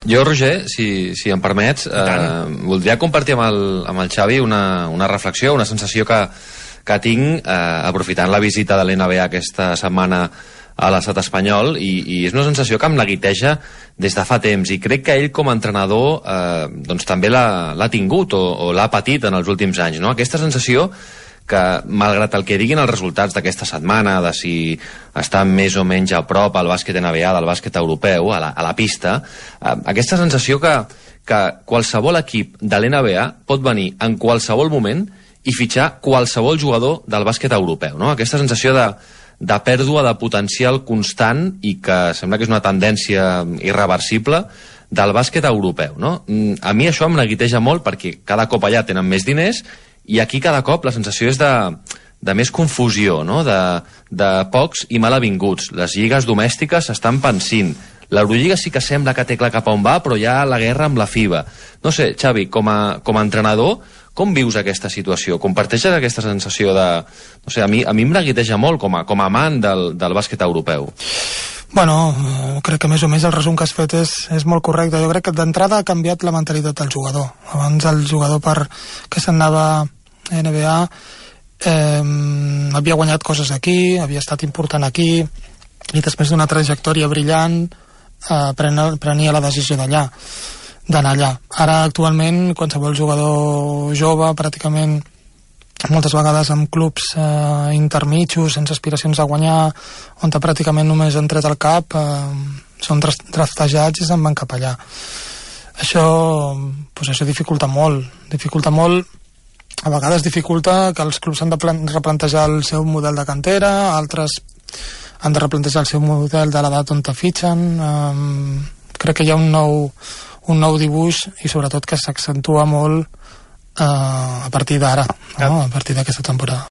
Jo, Roger, si em permets, voldria compartir amb el Xavi una reflexió, una sensació que tinc aprofitant la visita de l'NBA aquesta setmana a l'estat espanyol, i és una sensació que em neguiteja des de fa temps, i crec que ell com a entrenador doncs també l'ha tingut o l'ha patit en els últims anys, no? Aquesta sensació que, malgrat el que diguin els resultats d'aquesta setmana, de si està més o menys a prop al bàsquet NBA del bàsquet europeu, a la pista, aquesta sensació que qualsevol equip de l'NBA pot venir en qualsevol moment i fitxar qualsevol jugador del bàsquet europeu, no? Aquesta sensació de pèrdua de potencial constant, i que sembla que és una tendència irreversible del bàsquet europeu, no? A mi això em neguiteja molt, perquè cada cop allà tenen més diners, i aquí cada cop la sensació és de més confusió, no? De pocs i malavinguts. Les lligues domèstiques s'estan pansint. L'Eurolliga sí que sembla que té clar cap on va, però hi ha la guerra amb la FIBA. No sé, Xavi, com a entrenador, com vius aquesta situació? Comparteixes aquesta sensació de... No sé, a mi em neguiteja molt com a amant del bàsquet europeu. Bueno, crec que més o menys el resum que has fet és molt correcte. Jo crec que d'entrada ha canviat la mentalitat del jugador. Abans el jugador que se'n anava a NBA havia guanyat coses aquí, havia estat important aquí, i després d'una trajectòria brillant prenia la decisió d'anar allà. Ara, actualment, qualsevol jugador jove, pràcticament moltes vegades amb clubs intermitjos, sense aspiracions a guanyar, on pràcticament només han tret al cap, són draftejats i se'n van cap allà. Això dificulta molt. A vegades dificulta que els clubs han de replantejar el seu model de cantera, altres han de replantejar el seu model de l'edat on te fitxen. Crec que hi ha un nou dibuix, i sobretot que s'accentua molt a partir d'ara, no? A partir d'aquesta temporada.